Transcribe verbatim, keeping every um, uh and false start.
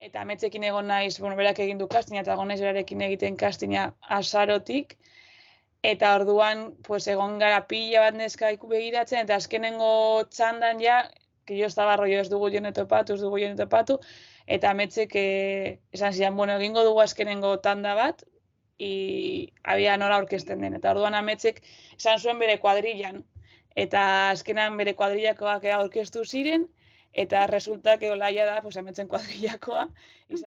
eta ametzekin egon naiz, bueno, berak egin du castinga, eta egon naiz berarekin egiten castinga azarotik, eta orduan, pues, egon gara pila bat neska begiratzen, eta azkenengo txandan ja, que yo estaba rollo, ez dugu jone topatu, ez dugu jone topatu, eta ametzek eh, esan zidan, bueno, egingo dugu azkenengo tanda bat, i había nola orkesten den, eta orduan ametzek esan zuen bere kuadrillan, eta azkenan bere kuadrillakoak orkestu ziren, eta resulta que olaia da, pues, ametzen kuadrillakoa,